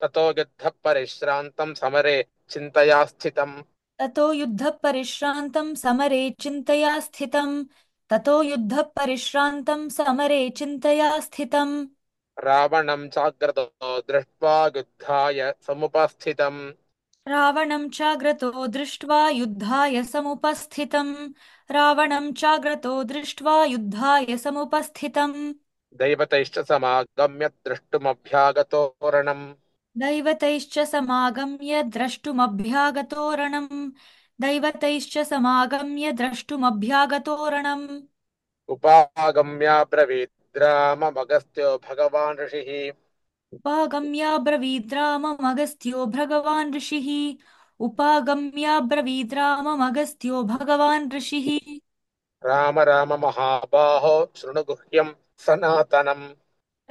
ततो युद्धः परिश्रान्तं समरे चिन्तया स्थितम्। ततो युद्धः परिश्रान्तं समरे चिन्तया स्थितम्। ततो युद्धः परिश्रान्तं समरे चिन्तया स्थितम्। रावणं चाग्रतो दृष्ट्वा युद्धाय समुपस्थितम्। रावणं चाग्रतो दृष्ट्वा युद्धाय समुपस्थितम्। रावणं चाग्रतो दृष्ट्वा युद्धाय समुपस्थितम्। दैवतैश्च समागम्य द्रष्टुमभ्यागतोरणम्। दैवतैश्च समागम्य द्रष्टुमभ्यागतोरणम्। दैवतैश्च समागम्य द्रष्टुमभ्यागतोरणम्। उपागम्याब्रवीद् राममगस्त्यो भगवान् ऋषिः। उपागम्याब्रवीद्राममगस्त्यो भगवान् ऋषिः। उपागम्याब्रवीद्राममगस्त्यो भगवान् ऋषिः। राम राम महाबाहो शृणु गुह्यम् सनातनम्।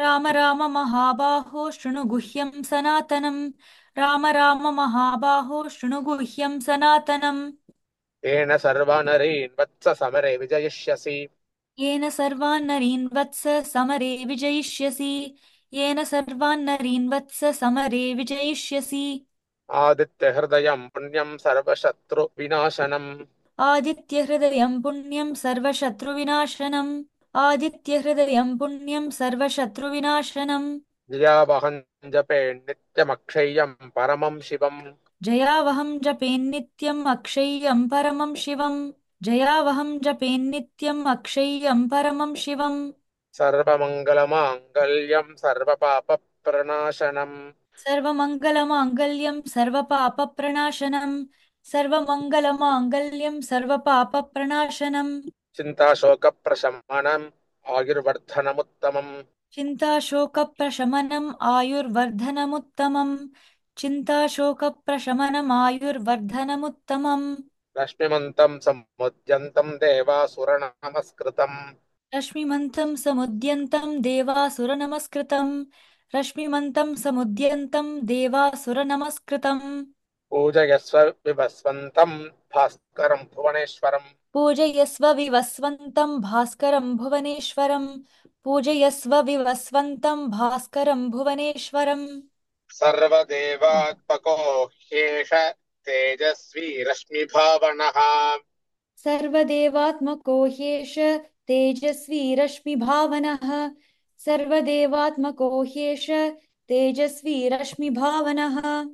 राम राम महाबाहो शृणु गुह्यं सनातनम्। राम राम महाबाहो शृणु गुह्यं सनातनम्। येन सर्वानरीन् वत्स समरे विजयिष्यसि। येन सर्वान् नरीन् वत्स समरे विजयिष्यसि। येन सर्वान् नरीन् वत्स समरे विजयिष्यसि। आदित्यहृदयम् पुण्यम् सर्वशत्रुविनाशनम्। आदित्यहृदयं पुण्यं सर्वशत्रुविनाशनम्। आदित्यहृदयं पुण्यं सर्वशत्रुविनाशनम्। जयावहम् जपे नित्यमक्षय्यम् परमम् शिवम्। जयावहं जपेन्नित्यम् अक्षय्यं परमं शिवम्। जयावहं जपेन्नित्यम् अक्षय्यं परमं शिवम्। सर्वमङ्गलमाङ्गल्यम् सर्वपापप्रणाशनम्। सर्वमङ्गलमाङ्गल्यं सर्वपापप्रणाशनम्। सर्वमङ्गलमाङ्गल्यं सर्वपापप्रणाशनम्। चिन्ताशोकप्रशमनम् आयुर्वर्धनमुत्तमम्। चिन्ताशोकप्रशमनम् आयुर्वर्धनमुत्तमम्। चिन्ताशोकप्रशमनम् आयुर्वर्धनमुत्तमम्। लक्ष्मीमन्तम् समुद्यन्तम् देवासुरनमस्कृतम्। रश्मिमन्तं समुद्यन्तं देवासुरनमस्कृतम्। रश्मिमन्तं समुद्यन्तं देवासुरनमस्कृतम्। पूजयस्व विभस्वन्तम् भास्करम् भुवनेश्वरम्। पूजयस्व विवस्वन्तं भास्करं भुवनेश्वरम्। पूजयस्व विवस्वन्तं भास्करं भुवनेश्वरम्। सर्वदेवात्मको ह्येष तेजस्वी रश्मिभावनः। सर्वदेवात्मको ह्येष तेजस्वी रश्मिभावनः। सर्वदेवात्मको ह्येष तेजस्वी रश्मिभावनः।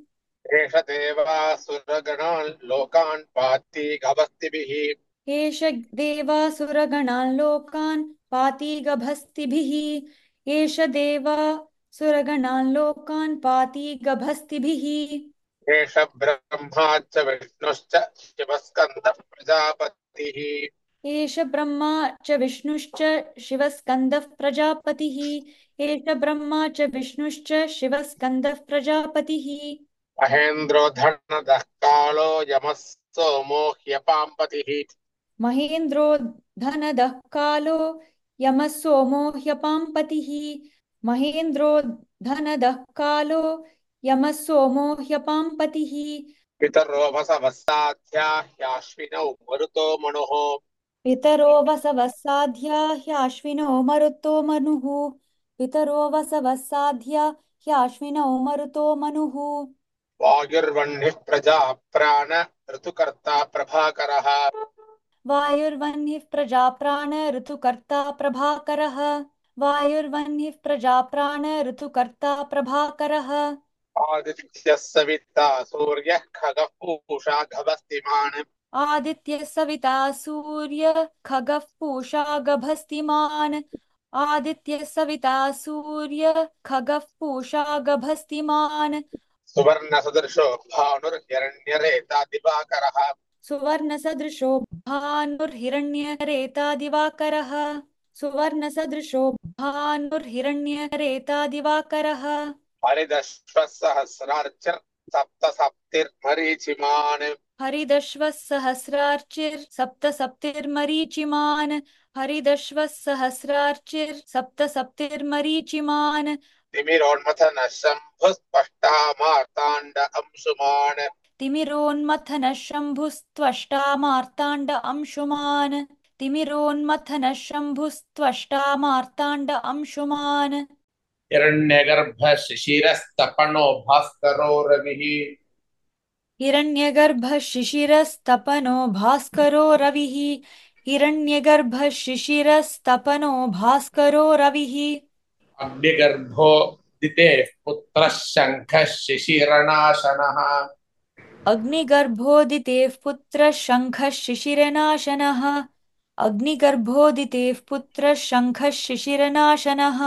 एष देवासुरगणान् लोकान् पाति गभस्तिभिः। एष देवासुरगणान् लोकान् पाति गभस्तिभिः। एष देवासुरगणान् लोकान् पाति गभस्तिभिः। एष ब्रह्मा च विष्णुश्च शिवस्कन्दः प्रजापतिः। एष ब्रह्मा च विष्णुश्च शिवस्कन्दः प्रजापतिः। एष ब्रह्मा च विष्णुश्च शिवस्कन्दः प्रजापतिः। महेन्द्रो धनदः कालो यमः सोमो ह्यपाम्पतिः। महेन्द्रो धनदः कालो यमः सोमो ह्यपाम्पतिः। महेन्द्रो धनदः कालो यमः सोमो ह्यपाम्पतिः। पितरो वसवः साध्या ह्याश्विनौ मरुतो मनुः। पितरो वसवः साध्या ह्याश्विनो मरुतो मनुः। पितरो वसवः साध्या ह्याश्विनो मरुतो मनुः। वायुर्वह्निः प्रजा प्राण ऋतुकर्ता प्रभाकरः। वायुर्वह्निः प्रजा प्राण ऋतुकर्ता प्रभाकरः। वायुर्वह्निः प्रजा प्राण ऋतुकर्ता प्रभाकरः। आदित्यः सविता सूर्यः खगः पूषा गभस्तिमान्। आदित्यः सविता सूर्य खगः पूषा गभस्तिमान्। आदित्यः सविता सूर्य खगः पूषा गभस्तिमान्। सुवर्णसदृशो भानुर्हिरण्यरेता दिवाकरः। सुवर्णसदृशो भानुर्हिरण्यरेता दिवाकरः। सुवर्णसदृशो भानुर्हिरण्यरेता दिवाकरः। हरिदश्वः सहस्रार्चिः सप्तसप्तिर्मरीचिमान्। हरिदश्वः सहस्रार्चिर् सप्तसप्तिर्मरीचिमान्। हरिदश्वः सहस्रार्चिर् सप्तसप्तिर्मरीचिमान्। तिमिरोन्मथनः शम्भुस्पष्टा मार्ताण्ड अंशुमान्। तिमिरोन्मथनः शम्भुस्त्वष्टा मार्ताण्ड अंशुमान्। तिमिरोन्मथनः शम्भुस्त्वष्टा मार्ताण्ड अंशुमान्। हिरण्यगर्भः शिशिरस्तपनो भास्करो रविः हिरण्यगर्भः शिशिरस्तपनो भास्करो रविः हिरण्यगर्भः शिशिरस्तपनो भास्करो रविः अग्निगर्भो दितेः पुत्रः शङ्खः शिशिरनाशनः अग्निगर्भोदितेः पुत्रः शङ्खः शिशिरनाशनः अग्निगर्भोदितेः पुत्रः शङ्खः शिशिरनाशनः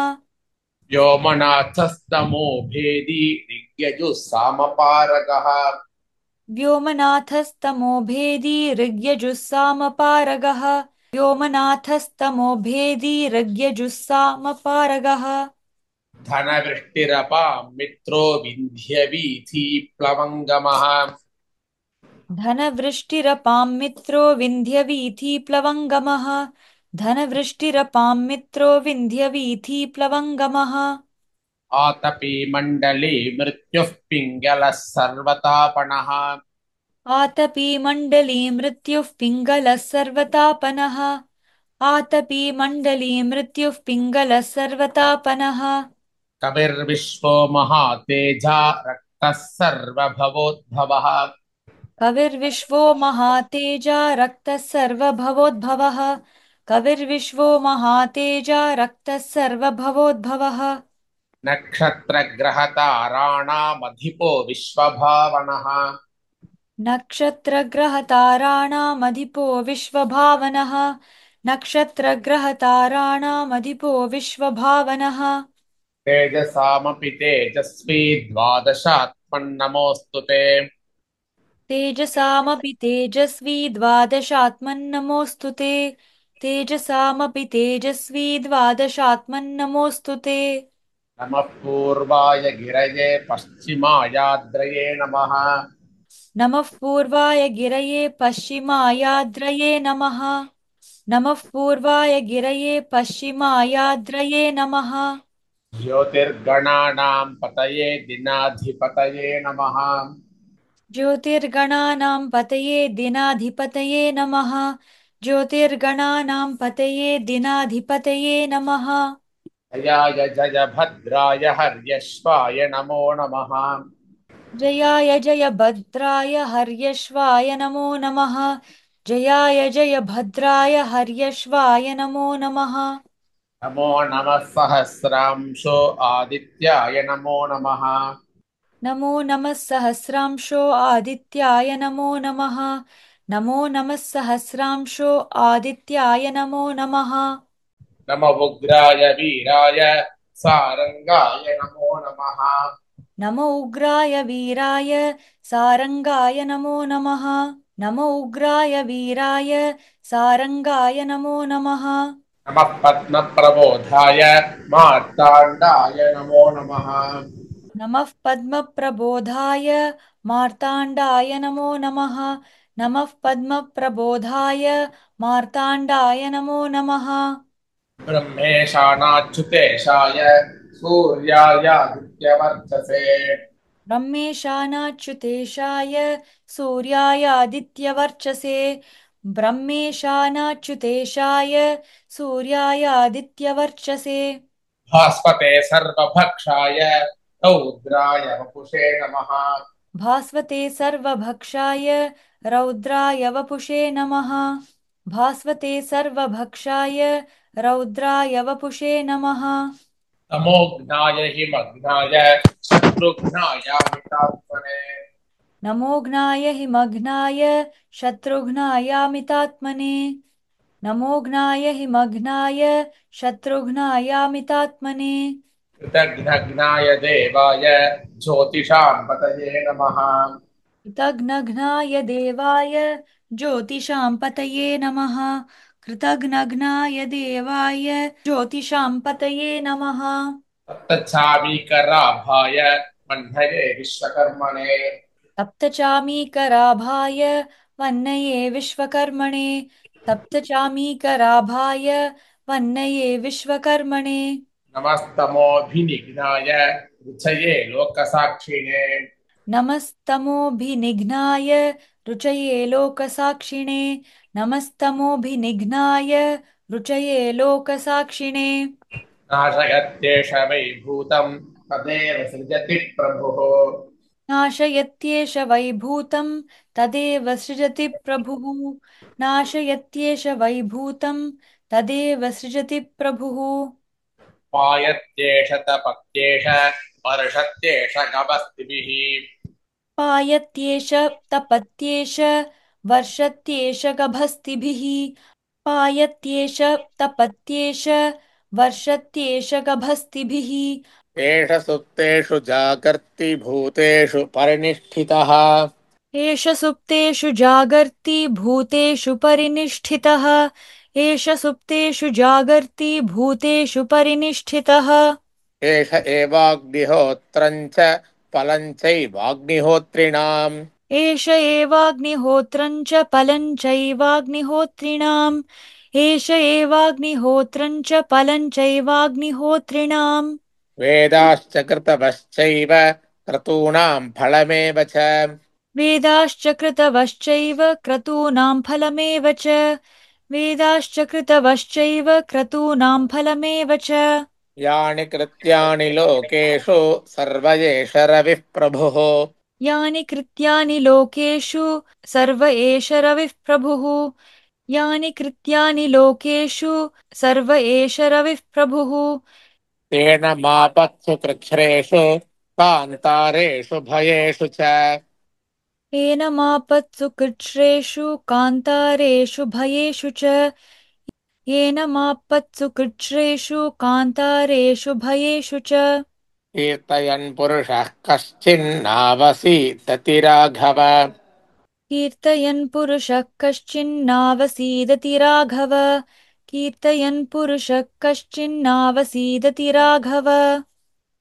व्योमनाथस्तमो भेदी ऋग्यजुः सामपारगः व्योमनाथस्तमोभेदी ऋग्यजुस्सामपारगः व्योमनाथस्तमोभेदी ऋग्यजुस्सामपारगः धनवृष्टिरपां मित्रो विन्ध्यवीथि प्लवङ्गमः धनवृष्टिरपां मित्रो विन्ध्यवीथिप्लवङ्गमः धनवृष्टिरपां मित्रो विन्ध्यवीथिप्लवङ्गमः आतपी मण्डले मृत्युः पिङ्गलः सर्वतापनः आतपी मण्डली मृत्युः पिङ्गलः सर्वतापनः आतपी मण्डली मृत्युः पिङ्गलः सर्वतापनः कविर्विश्वो महातेजा रक्तः सर्वभवोद्भवः कविर्विश्वो महातेजा रक्तः सर्वभवोद्भवः कविर्विश्वो महातेजा रक्तः सर्वभवोद्भवः नक्षत्रग्रहताराणामधिपो विश्वभावनः नक्षत्रग्रहताराणामधिपो विश्वभावनः नक्षत्रग्रहताराणामधिपो विश्वभावनः तेजसामपि तेजस्वी द्वादशात्मन्नमोऽस्तु ते तेजसामपि तेजस्वी द्वादशात्मन्नमोऽस्तु ते तेजसामपि तेजस्वी द्वादशात्मन्नमोऽस्तु ते नमः पूर्वाय गिरये पश्चिमायाद्रये नमः नमः पूर्वाय गिरये पश्चिमायाद्रये नमः नमः पूर्वाय गिरये पश्चिमायाद्रये नमः ज्योतिर्गणानां पतये दिनाधिपतये नमः ज्योतिर्गणानां पतये दिनाधिपतये नमः ज्योतिर्गणानां पतये दिनाधिपतये नमः जयाय जय भद्राय हर्यश्वाय नमो नमः जयाय जय भद्राय हर्यश्वाय नमो नमः जयाय जय भद्राय हर्यश्वाय नमो नमः नमो नमः सहस्रांशो आदित्याय नमो नमः नमो नमः सहस्रांशो आदित्याय नमो नमः नमो नमः सहस्रांशो आदित्याय नमो नमः नमो उग्राय वीराय सारंगाय नमो नमः नमो उग्राय वीराय सारंगाय नमो नमः नमो उग्राय वीराय सारंगाय नमो नमः नमः पद्मप्रबोधाय मार्ताण्डाय नमो नमः नमः पद्मप्रबोधाय मार्ताण्डाय नमो नमः नमः पद्मप्रबोधाय मार्ताण्डाय नमो नमः ब्रह्मेशानाच्युतेशाय सूर्यायादित्यवर्चसे ब्रह्मेशानाच्युतेशाय सूर्यायादित्यवर्चसे ब्रह्मेशानाच्युतेशाय सूर्यायादित्यवर्चसे भास्पते सर्वभक्षाय रौद्राय वपुषे नमः भास्वते सर्वभक्षाय रौद्राय वपुषे नमः भास्वते सर्वभक्षाय रौद्राय वपुषे नमः तमोघ्नाय हिमघ्नाय शत्रुघ्नायामितात्मने नमोघ्नाय हिमघ्नाय शत्रुघ्नायामितात्मने नमोघ्नाय हिमघ्नाय शत्रुघ्नायामितात्मने कृतघ्नघ्नाय देवाय ज्योतिषां पतये नमः कृतघ्नघ्नाय देवाय ज्योतिषां पतये नमः कृतघ्नघ्नाय देवाय ज्योतिषां पतये नमः तप्तचामीकराभाय मह्नये विश्वकर्मणे सप्तचामीकराभाय वन्नये विश्वकर्मणे सप्तचामीकराभाय वन्नये विश्वकर्मणे नमस्तमोऽभिनिघ्नाय रुचये लोकसाक्षिणे नमस्तमोभिनिघ्नाय रुचये लोकसाक्षिणे नमस्तमोभिनिघ्नाय रुचये लोकसाक्षिणे नाशयत्येष वै भूतं तदेव सृजति प्रभुः। नाशयत्येष वैभूतं तदेव सृजति प्रभुः। नाशयत्येष वैभूतं तदेव सृजति प्रभुः। पायत्येष तपत्येष वर्षत्येष गभस्तिभिः। पायत्येष तपत्येष वर्षत्येष गभस्तिभिः। पायत्येष तपत्येष वर्षत्येष गभस्तिभिः। एष सुप्तेषु जागर्ति भूतेषु परिनिष्ठितः। एष सुप्तेषु जागर्ति भूतेषु परिनिष्ठितः। एष सुप्तेषु जागर्ति भूतेषु परिनिष्ठितः। एष एवाग्निहोत्रम् च फलम् चैवाग्निहोत्रिणाम्। एष एवाग्निहोत्रं च फलं चैवाग्निहोत्रिणाम्। एष एवाग्निहोत्रं च फलं चैवाग्निहोत्रिणाम्। वेदाश्च कृतवश्चैव क्रतूणाम् फलमेव च। वेदाश्च कृतवश्चैव क्रतूनां फलमेव च। वेदाश्च कृतवश्चैव क्रतूनां फलमेव च। यानि कृत्यानि लोकेषु सर्व एष रविः प्रभुः। यानि कृत्यानि लोकेषु सर्व एष रविः प्रभुः। यानि कृत्यानि लोकेषु सर्व एष रविः प्रभुः। तेन मापत्सु कृच्छ्रेषु कान्तारेषु भयेषु च। येनमापत्सु कृच्छ्रेषु कान्तारेषु भयेषु च। येनमापत्सु कृच्छ्रेषु कान्तारेषु भयेषु च। कीर्तयन् पुरुषः कश्चिन्नावसीदति राघव। कीर्तयन् पुरुषः कश्चिन्नावसीदति राघव। कीर्तयन् पुरुषः कश्चिन्नावसीदति राघव।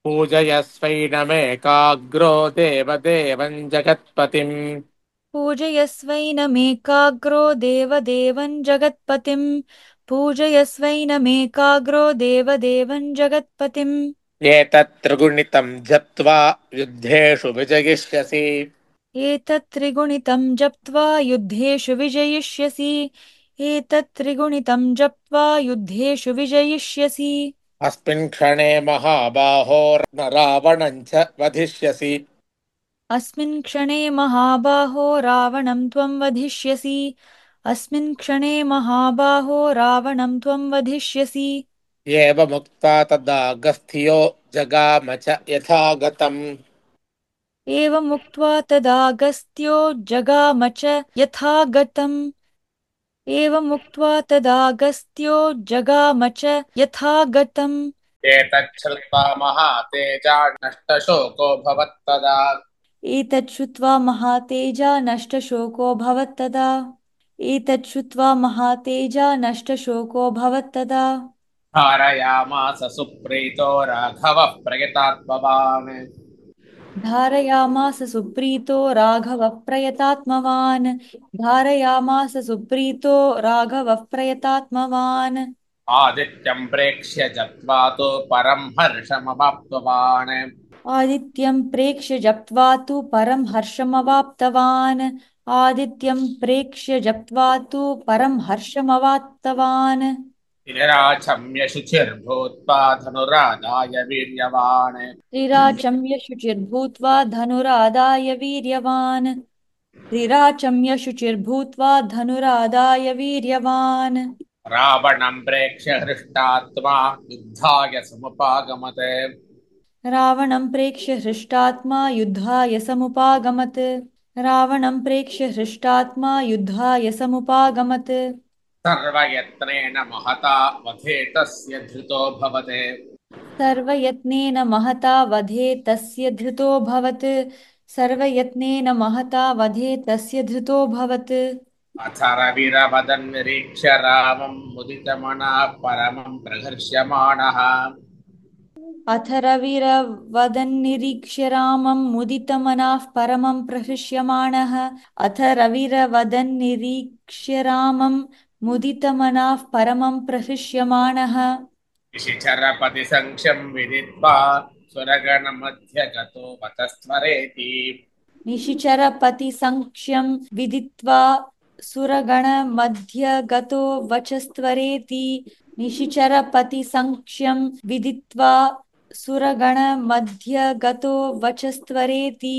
पूजयस्वैनमेकाग्रो देवदेवम् जगत्पतिम्। पूजयस्वैनमेकाग्रो देवदेवं जगत्पतिम्। पूजयस्वैनमेकाग्रो देवदेवं जगत्पतिम्। एतत् त्रिगुणितम् जप्त्वा युद्धेषु विजयिष्यसि। एतत् त्रिगुणितं जप्त्वा युद्धेषु विजयिष्यसि। एतत् त्रिगुणितं जप्त्वा युद्धेषु विजयिष्यसि। अस्मिन् क्षणे महाबाहो रावणम् च वधिष्यसि। अस्मिन् क्षणे महाबाहो रावणं त्वं वधिष्यसि। अस्मिन् क्षणे महाबाहो रावणं त्वं वधिष्यसि। एवमुक्ता तदागस्त्यो जगाम च यथागतम्। एवमुक्त्वा तदागस्त्यो जगाम च यथा गतम्। एवमुक्त्वा तदागस्त्यो जगाम च यथा गतम्। एतच्छ्रुत्वा महातेजा नष्टशोको भवत्तदा। एतत् श्रुत्वा महातेजा नष्टशोकोऽभवत्तदा। एतत् श्रुत्वा महातेजा नष्टशोकोऽभवत्तदा। धारयामास सुप्रीतो राघवः प्रयतात्मवान्। धारयामास सुप्रीतो राघवः प्रयतात्मवान्। धारयामास सुप्रीतो राघवः प्रयतात्मवान्। आदित्यम् प्रेक्ष्य जप्त्वा तु परम् हर्षमवाप्तवान्। आदित्यं प्रेक्ष्य जप्त्वा तु परं हर्षमवाप्तवान्। आदित्यं प्रेक्ष्य जप्त्वा तु परं हर्षमवाप्तवान्। निराचम्य शुचिर्भूत्वा धनुरादाय वीर्यवान्। त्रिराचम्य शुचिर्भूत्वा धनुरादाय वीर्यवान्। त्रिराचम्य शुचिर्भूत्वा धनुरादाय वीर्यवान्। रावणम् प्रेक्ष्य हृष्टात्मा युद्धाय समुपागमत्। रावणं प्रेक्ष्य हृष्टात्मा युद्धाय समुपागमत्। रावणं प्रेक्ष्य हृष्टात्मा युद्धाय समुपागमत्। सर्वयत्नेन महता वधे तस्य धृतो भवते। सर्वयत्नेन महता वधे तस्य धृतोऽभवत्। सर्वयत्नेन महता वधे तस्य धृतोऽभवत्। अथ रविरवदन्निरीक्ष्य रामम् मुदितमनः परमम् प्रहर्ष्यमाणः। अथ रविरवदन्निरीक्ष्य रामं मुदितमनाः परमं प्रहृष्यमाणः। अथ रविरवदन्निरीक्ष्य रामं मुदितमनाः परमं प्रहृष्यमाणः। निशिचरपतिसङ्ख्यम् विदित्वा सुरगणमध्यगतो वतस्त्वरेति। निशिचरपतिसङ्क्ष्यं विदित्वा सुरगणमध्यगतो वचस्त्वरेति। निशिचरपतिसङ्क्ष्यं विदित्वा सुरगणमध्यगतो वचस्त्वरेति